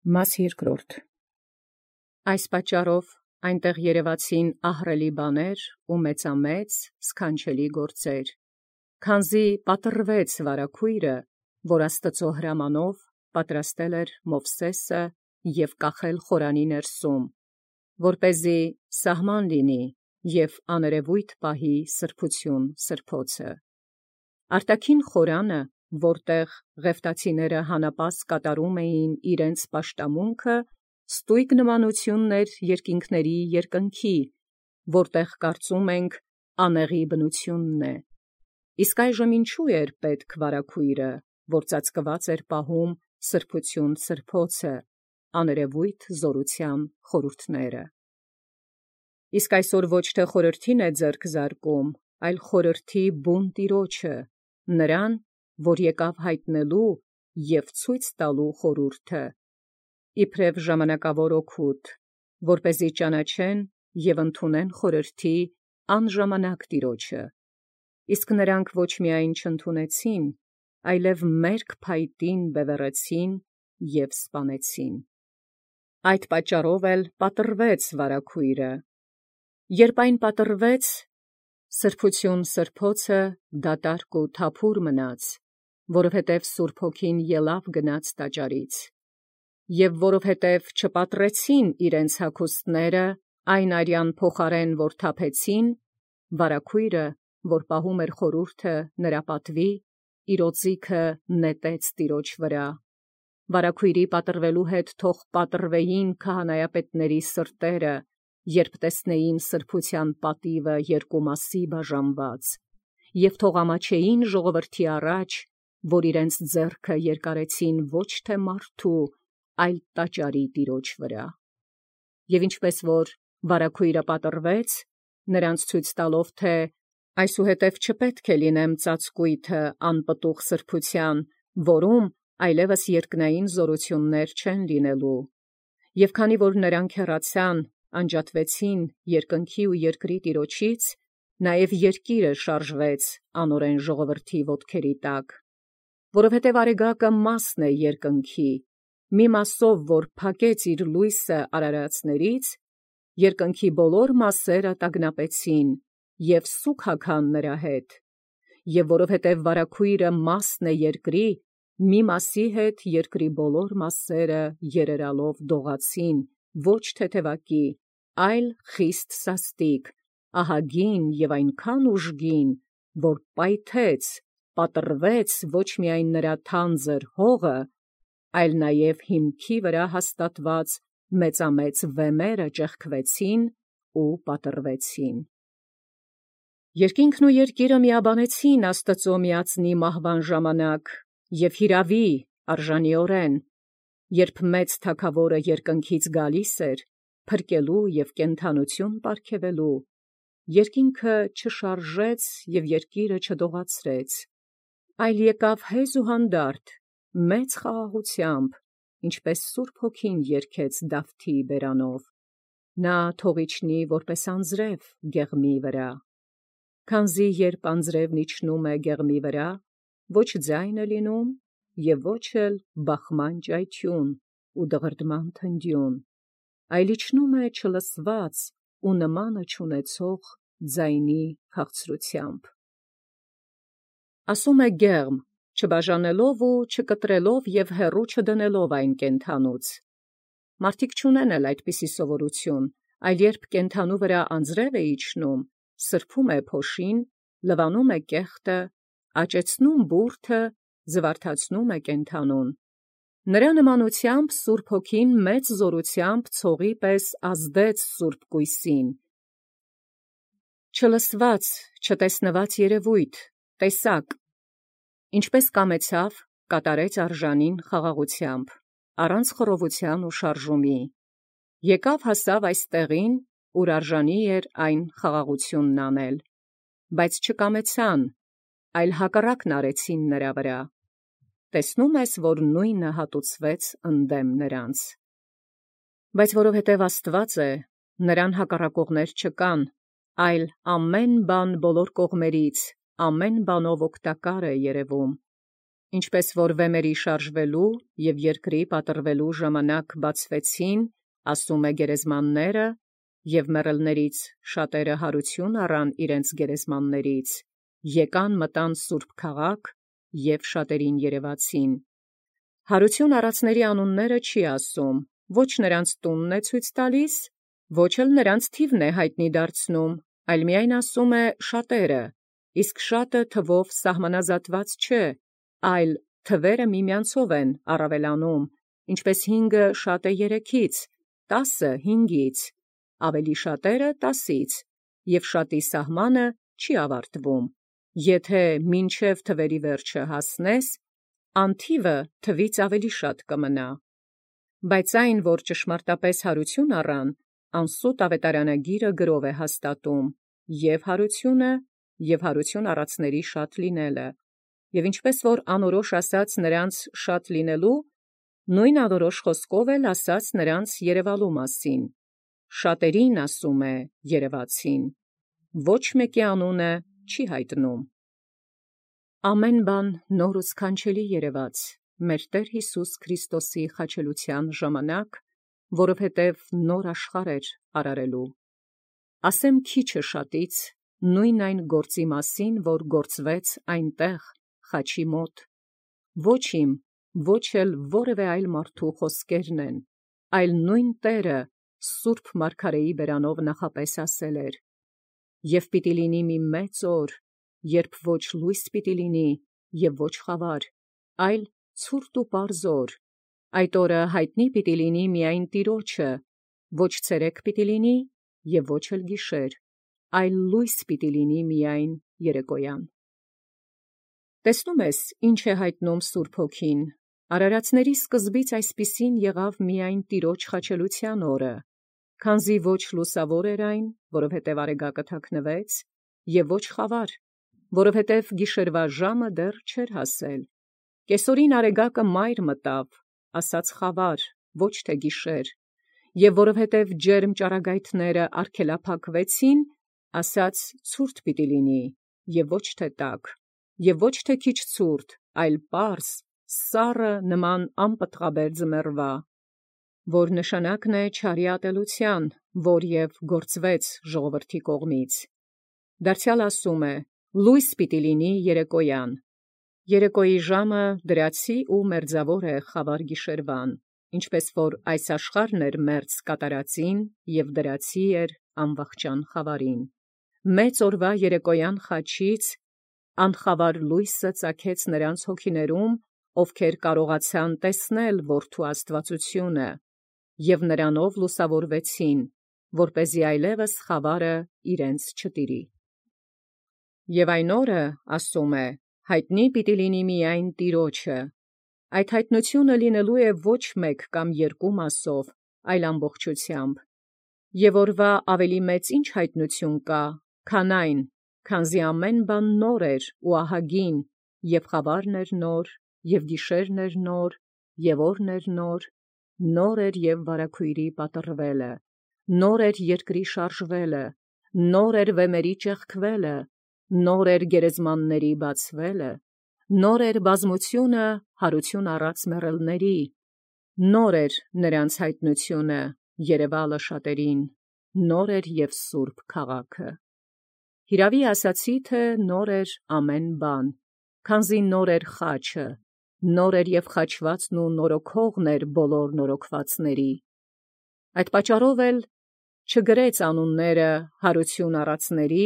Մաս երկրորդ. Այս պատճառով այնտեղ երևացին ահռելի բաներ ու մեծամեծ սքանչելի գործեր, քանզի պատռվեց վարագոյրը, որ Աստուծոյ հրամանով պատրաստել էր Մովսէսը և կախել խորանի ներսում, որպեսզի սահման լինի և աներևոյթ պահի սրբութիւն սրբոցը։ Արտաքին խորանը, որտեղ Ղևտացիները հանապազգ կատարում էին իրենց պաշտամունքը, ստույգ նմանութիւն երկինքների երկնքի, որտեղ կարծում ենք անեղի բնութիւնն է։ Իսկ այժմ ինչու էր պետք վարագոյրը, որ ծածկված էր պահում սրբութիւն սրբոցը, աներևոյթ զօրութեան խորհուրդները։ Իսկ այսօր ոչ թե խորհրդին է ձեռք զարկում, այլ խորհրդի բուն Տիրոջը, նրան, որ եկաւ յայտնելու և ցույց տալու խորհուրդը, իբրև ժամանակաւոր օգուտ, որպեսզի ճանաչեն և ընդունեն խորհրդի անժամանակ Տիրոջը։ Իսկ նրանք ոչ միայն չընդունեցին, այլև մերկ փայտին բևեռեցին և սպանեցին։ Այդ պատճառով էլ պատռվեց վարագոյրը։ Երբ այն պատռվեց, սրբութիւն սրբոցը դատարկ ու թափուր մնաց, որովհետև Սուրբ Հոգին ելաւ գնաց տաճարից, և որովհետև չպատռեցին իրենց հագուստները այն արյան փոխարեն, որ թափեցին, վարագոյրը, որ պահում էր խորհուրդը նրա պատուի, իր օծիքը նետեց Տիրոջ վրա։ Վարագոյրի պատռվելու հետ թող պատռվեին քահանայապետաց սրտերը, երբ տեսնեին սրբութեան պատիւը երկու մասի բաժանված, և թող ամաչեին ժողովրդի առաջ, որ իրենց ձեռքը երկարեցին ոչ թե մարդու, այլ տաճարի Տիրոջ վրա։ Եւ ինչպես որ վարագոյրը պատռվեց, նրանց ցույց տալով, թէ այսուհետև չպետք է լինեմ ծածկոյթը անպտուղ սրբութեան, որում այլևս երկնային զօրութիւններ չեն լինելու։ Եւ քանի որ նրանք հեռացան, անջատվեցին երկնքի ու երկրի Տիրոջից, նաեւ երկիրը շարժվեց անօրեն ժողովրդի ոտքերի տակ։ Որովհետև արեգակը մասն է երկնքի, մի մասով որ փակեց իր լոյսը արարածներից, երկնքի բոլոր մասերը տագնապեցին և սուգ հագան նրա հետ, և որովհետև վարագոյրը մասն է երկրի, մի մասի հետ երկրի բոլոր մասերը երերալով դողացին, ոչ թեթևակի, այլ խիստ սաստիկ, ահագին և այնքան ուժգին, որ պայթեց, պատռվեց ոչ միայն նրա թանձր հողը, այլ նաև հիմքի վրա հաստատված մեծամեծ վեմերը ճեղքվեցին ու պատռվեցին։ Երկինքն ու երկիրը միաբանեցին Աստուծոյ միածնի մահվան ժամանակ և յիրաւի արժանիօրեն, երբ մեծ թագաւորը երկնքից գալիս էր, փրկելու և կենդանութիւն պարգևելու, երկինքը չշարժեց և երկիրը չդողացրեց, այլ եկաւ հեզ ու հանդարտ, մեծ խաղաղութեամբ, ինչպէս Սուրբ Հոգին երգեց Դավթի բերանով. «Նա թող իջնի որպէս անձրև գեղմի վրա»։ Քանզի երբ անձրևն իջնում է գեղմի վրա, ոչ ձայն է լինում և ոչ էլ բախման ճայթյուն ու դղրդման թնդյուն, այլ իջնում է չլսված ու նմանը չունեցող ձայնի քաղցրութեամբ։ Ասում է գեղմ, չբաժանելով ու չկտրելով և հեռու չդնելով այն կենդանուց։ Մարդիկ չունեն էլ այդպիսի սովորութիւն, այլ երբ կենդանու վրա անձրև է իջնում, սրբում է փոշին, լվանում է կեղտը, աճեցնում բուրդը, զվարթացնում է կենդանուն։ Նրա նմանութեամբ Սուրբ Հոգին մեծ զօրութեամբ ցողի պես ազդեց սուրբ կոյսին. չլսված, չտեսնված երևոյթ, տեսակ, ինչպես կամեցաւ, կատարեց արժանին խաղաղութեամբ, առանց խռովութեան ու շարժումի, եկաւ հասաւ այս տեղին, ուր արժանի էր այն խաղաղութիւնն անել, բայց չկամեցան, այլ հակառակն արեցին նրա վրա։ Տեսնո՞ւմ ես, որ նոյնը հատուցվեց ընդդեմ նրանց։ Բայց որովհետև Աստուած է, նրան հակառակողներ չկան, այլ ամեն բան բոլոր կողմերից, ամեն բանով օգտակար է երևում։ Ինչպես որ վեմերի շարժվելու և երկրի պատռվելու ժամանակ բացվեցին, ասում է գերեզմանները, և մեռելներից շատերը հարություն առան իրենց գերեզմաններից, եկան մտան սուրբ քաղաք և շատերին երևացին։ Հարություն առածների անունները չի ասում, ոչ նրանց տունն է ցույց տալիս, ոչ էլ նրանց թիվն է հայտնի դարձնում, այլ միայն ասում է շատերը, իսկ շատը թվով սահմանազատված չէ, այլ թվերը միմյանցով են առավելանում, ինչպես 5-ը շատ է 3-ից, 10-ը 5-ից, ավելի շատերը 10-ից, և շատի սահմանը չի ավարտվում։ Եթե մինչև թվերի վերջը հասնես, անթիվը թվից ավելի շատ կմնա։ Բայց այն, որ ճշմարտապես հարություն առան, անսուտ ավետարանագիրը գրով է հաստատում և հարությունը, և հարություն առածների շատ լինելը, և ինչպես որ անորոշ ասաց նրանց շատ լինելու, նույն անորոշ խոսքով էլ ասաց նրանց երևալու մասին, շատերին ասում է երևացին, ոչ մեկի անունը չի հայտնում։ Ամեն բան նոր ու սքանչելի երևաց մեր Տեր Հիսուս Քրիստոսի խաչելության ժամանակ, որովհետև նոր աշխարհ էր արարելու։ Ասեմ քիչը շատից, նույն այն գործի մասին, որ գործվեց այնտեղ խաչի մոտ, ոչ իմ, ոչ էլ որևէ այլ մարդու խոսքերն են, այլ նույն Տերը սուրբ մարգարեի բերանով նախապես ասել էր. «Եվ պիտի լինի մի մեծ օր, երբ ոչ լույս պիտի լինի և ոչ խավար, այլ ցուրտ ու պարզ օր. այդ օրը հայտնի պիտի լինի միայն Տիրոջը, ոչ ցերեկ պիտի լինի և ոչ էլ գիշեր, այլ լույս պիտի լինի միայն երեկոյան»։ Տեսնում ես, ինչ է հայտնում Սուրբ Հոգին. արարածների սկզբից այսպիսին եղավ միայն Տիրոջ խաչելության օրը, քանզի ոչ լուսավոր էր այն, որովհետև արեգակը թաքնվեց, և ոչ խավար, որովհետև գիշերվա ժամը դեռ չէր հասել։ Կեսօրին արեգակը մայր մտավ, ասաց խավար, ոչ թե գիշեր, և որովհետև ջերմ ճառագայթները արգելափակվեցին, ասաց ցուրտ պիտի լինի, և ոչ թե տաք, և ոչ թե քիչ ցուրտ, այլ պարզ, սառը նման անպտղաբեր ձմեռվա, որ նշանակն է չարի ատելության, որ և գործվեց ժողովրդի կողմից։ Դարձյալ ասում է. լույս պիտի լինի երեկոյան։ Երեկոյի ժամը դրացի ու մերձավոր է խավար գիշերվան, ինչպես որ այս աշխարհն էր մերձ կատարածին և դրացի էր անվախճան խավարին։ Մեծ օրվա երեկոյան խաչից անխավար լույսը ծագեց նրանց հոգիներում, ովքեր կարողացան տեսնել Որդու աստվածությունը, և նրանով լուսավորվեցին, որպեսզի այլևս խավարը իրենց չտիրի։ Եվ այն օրը, ասում է, հայտնի պիտի լինի միայն Տիրոջը։ Այդ հայտնությունը լինելու է ոչ մեկ կամ երկու մասով, այլ ամբողջությամբ։ Եվ օրվա ավելի մեծ ինչ հայտնություն կա, քան այն, քանզի ամեն բան նոր էր ու ահագին, և խավարն էր նոր, և գիշերն էր նոր, և օրն էր նոր, նոր էր և վարագույրի պատռվելը, նոր էր երկրի շարժվելը, նոր էր վեմերի ճեղքվելը, նոր էր գերեզմանների բացվելը, նոր էր բազմությունը հարություն առած մեռելների, նոր էր նրանց հայտնությունը, երևալը շատերին, նոր էր և սուրբ քաղաքը։ Հիրավի ասացի, թե նոր էր ամեն բան, քանզի նոր էր խաչը, նոր էր և խաչվածն ու նորոգողն էր բոլոր նորոգվածների։ Այդ պատճառով էլ չգրեց անունները հարություն առածների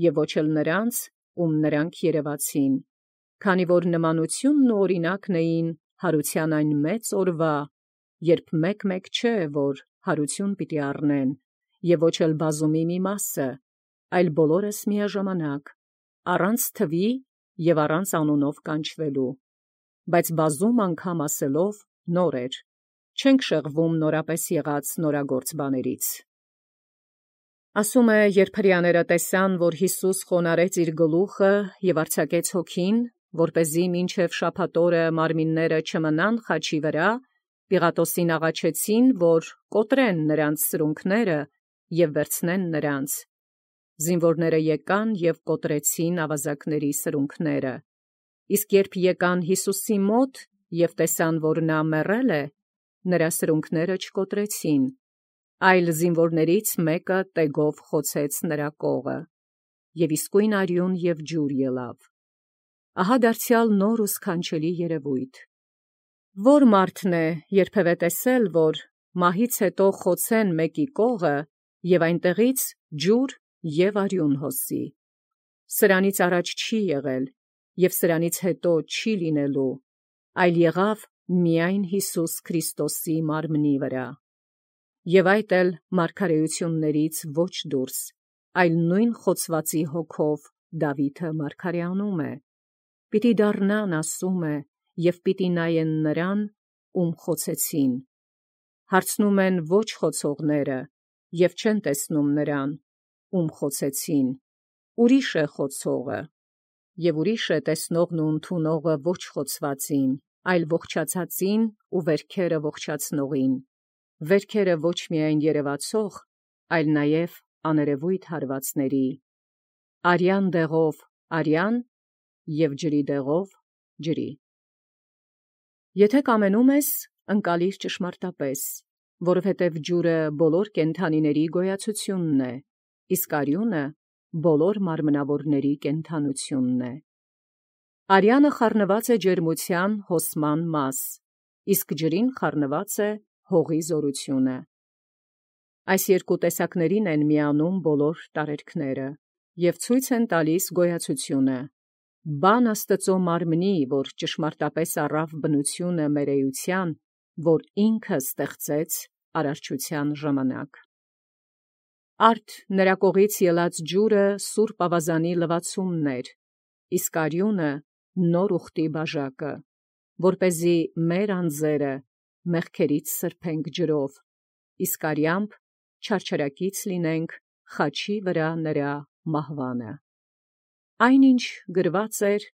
և ոչ էլ նրանց, ում նրանք երևացին, քանի որ նմանությունն ու օրինակն էին հարության այն մեծ օրվա, երբ մեկ չէ, որ հարություն պիտի առնեն, և ոչ էլ բազումի մի մասը, այլ բոլորս միաժամանակ, առանց թվի և առանց անունով կանչվելու, բայց բազում անգամ ասելով նոր էր, չենք շեղվում նորապես եղած նորագործ բաներից։ Ասում է, երբ հրեաները տեսան, որ Յիսուս խոնարհեց իր գլուխը և արձակեց հոգին, որպեսզի մինչև շաբաթ օրը մարմինները չմնան խաչի վրա, Պիղատոսին աղաչեցին, որ կոտրեն նրանց սրունքները և վերցնեն նրանց։ Զինվորները եկան և կոտրեցին ավազակների սրունքները։ Իսկ երբ եկան Յիսուսի մոտ և տեսան, որ նա մեռել է, նրա սրունքները չկոտրեցին, այլ զինվորներից մեկը տեգով խոցեց նրա կողը, և իսկույն արյուն և ջուր ելավ։ Ահա դարձյալ նոր ու սքանչելի երևույթ։ Որ մարդն է երբևէ տեսել, որ մահից հետո խոցեն մեկի կողը և այնտեղից ջուր և արյուն հոսի։ Սրանից առաջ չի եղել և սրանից հետո չի լինելու, այլ եղավ միայն Յիսուս Քրիստոսի մարմնի վրա։ Եվ այդ էլ մարգարեություններից ոչ դուրս, այլ նույն խոցվածի հոգով Դավիթը մարգարեանում է։ Պիտի դառնան, ասում է, և պիտի նայեն նրան, ում խոցեցին։ Հարցնում են ոչ խոցողները, և չեն տեսնում նրան, ում խոցեցին, ուրիշ է խոցողը, և ուրիշ է տեսնողն ու ընդունողը ոչ խոցվածին, այլ ողջացածին ու վերքերը ողջացնողին, վերքերը ոչ միայն երևացող, այլ նաև աներևույթ հարվածների, արյան դեղով արյան և ջրի դեղով ջրի։ Եթե կամենում ես, ընկալիր ճշմարտապես, որովհետև ջուրը բոլոր կենդանիների գոյացությունն է, իսկ արյունը բոլոր մարմնավորների կենդանությունն է։ Արյանը խառնված է ջերմության հոսման մաս, իսկ ջրին խառնված է հողի զորությունը։ Այս երկու տեսակներին են միանում բոլոր տարերքները և ցույց են տալիս գոյացությունը։ Բան Աստծո մարմնի, որ ճշմարտապես առավ բնությունը մեր էության, որ ինքը ստեղծեց արարչության ժամանակ։ Արդ նրա կողից ելած ջուրը սուրբ ավազանի լվացումն էր, իսկ արյունը նոր ուխտի բաժակը, որպեսզի մեր անձերը մեղքերից սրբենք ջրով, իսկ արյամբ չարչարակից լինենք խաչի վրա նրա մահվանը։ Այնինչ գրված էր,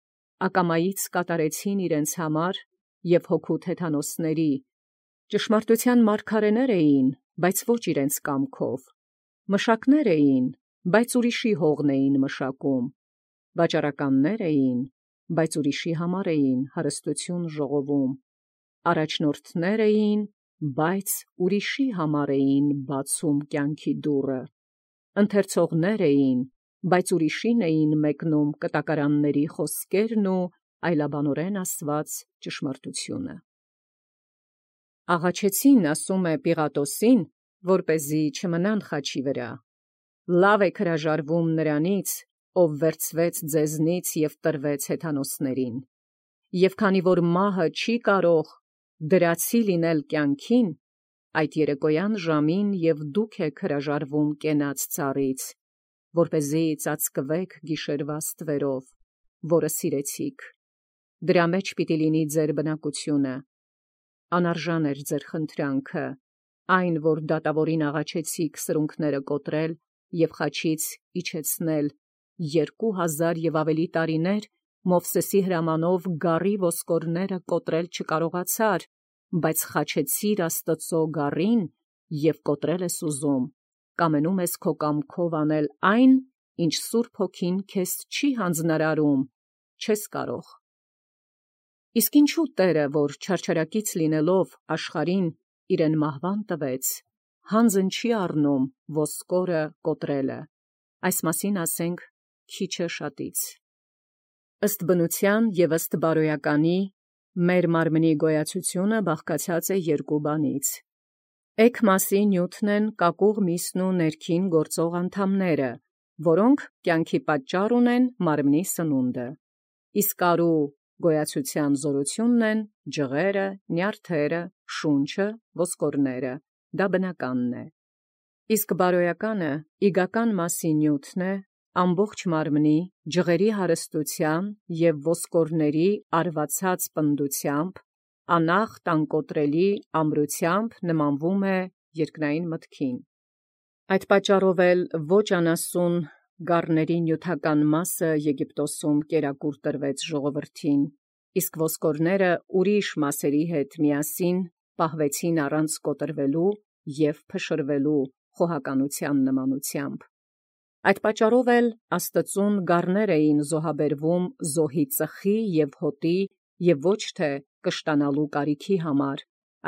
ակամայից կատարեցին իրենց համար և հոգու թեթանոսների, ճշմարտության մարգարեներ էին, բայց ոչ իրենց կամքով, մշակներ էին, բայց ուրիշի հողն էին մշակում, վաճառականներ էին, բայց ուրիշի համար էին հարստություն ժողովում, առաջնորդներ էին, բայց ուրիշի համար էին բացում կյանքի դուռը, ընթերցողներ էին, բայց ուրիշին էին մեկնում կտակարանների խոսքերն ու այլաբանորեն ասված ճշմարտությունը։ Աղաչեցին, ասում է, Պիղատոսին, որպեսզի չմնան խաչի վրա։ Լավ եք հրաժարվում նրանից, ով վերցվեց ձեզնից և տրվեց հեթանոսներին։ Եվ քանի որ մահը չի կարող դրացի լինել կյանքին, այդ երեկոյան ժամին և դուք եք հրաժարվում կենաց ծառից, որպեսզի ծածկվեք գիշերվա ստվերով, որը սիրեցիք։ Դրա մեջ պիտի լինի ձեր բնակությունը։ Անարժան էր ձեր խնդրանքը, այն, որ դատավորին աղաչեցիք սրունքները կոտրել և խաչից իջեցնել 2000 և ավելի տարիներ Մովսեսի հրամանով գառի ոսկորները կոտրել չկարողացար, բայց խաչեցիր Աստծո գառին և կոտրել ես ուզում, կամենում ես քո կամքով անել այն, ինչ Սուրբ Հոգին քեզ չի հանձնարարում, չես կարող։ Իսկ ինչու Տերը, որ չարչարակից լինելով աշխարհին իրեն մահվան տվեց, հանձն չի առնում ոսկորը կոտրելը, այս մասին ասենք քիչը շատից։ Ըստ բնության և ըստ բարոյականի մեր մարմնի գոյացությունը բաղկացած է երկու բանից։ Էգ մասի նյութն են կակուղ միսն ու ներքին գործող անդամները, որոնք կյանքի պատճառ ունեն մարմնի սնունդը, իսկ արու գոյացության զորությունն են ջղերը, նյարդերը, շունչը, ոսկորները, դա բնականն է։ Իսկ բարոյականը իգական մասի նյութն է ամբողջ մարմնի, ջղերի հարստության և ոսկորների արվածած պնդությամբ, անախտ անկոտրելի ամրությամբ նմանվում է երկնային մտքին։ Այդ պատճառով էլ ոչ անասուն գառների նյութական մասը Եգիպտոսում կերակուր տրվեց ժողովրդին, իսկ ոսկորները ուրիշ մասերի հետ միասին պահվեցին առանց կոտրվելու և փշրվելու խոհականության նմանությամբ։ Այդ պատճառով էլ Աստծուն գառներ էին զոհաբերվում զոհի ծխի և հոտի և ոչ թե կշտանալու կարիքի համար,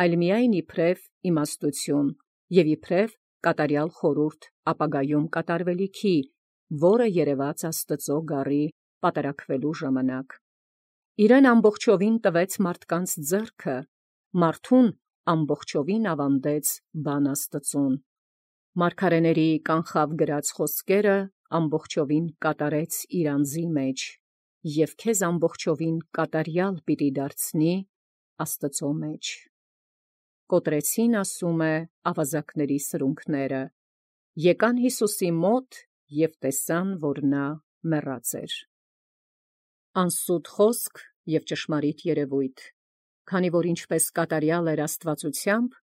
այլ միայն իբրև իմաստություն և իբրև կատարյալ խորհուրդ ապագայում կատարվելիքի, որը երևաց Աստծու գառի պատարակվելու ժամանակ։ Իրեն ամբողջովին տվեց մարդկանց ձեռքը, մարդուն ամբողջովին ավանդեց բան Աստծուն։ Մարգարեների կանխավ գրած խոսքերը ամբողջովին կատարեց իր անձի մեջ, և քեզ ամբողջովին կատարյալ պիտի դարձնի Աստծու մեջ։ Կոտրեցին, ասում է, ավազակների սրունքները, եկան Յիսուսի մոտ և տեսան, որ նա մեռած էր։ Անսուտ խոսք և ճշմարիտ երևույթ, քանի որ ինչպես կատարյալ էր աստվածությամբ,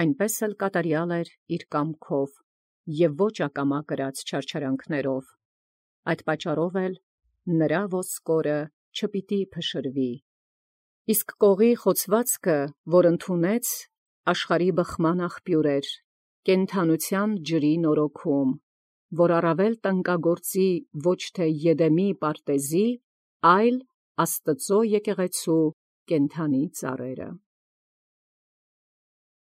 այնպես էլ կատարյալ էր իր կամքով և ոչ ակամա կրած չարչարանքներով։ Այդ պատճառով էլ նրա ոսկորը չպիտի փշրվի։ Իսկ կողի խոցվածքը, որ ընդունեց, աշխարհի բխման աղբյուր էր, կենդանության ջրի նորոգում, որ առավել տնկագործի ոչ թե Եդեմի պարտեզի, այլ Աստծու եկեղեցու կենդանի ծառերը։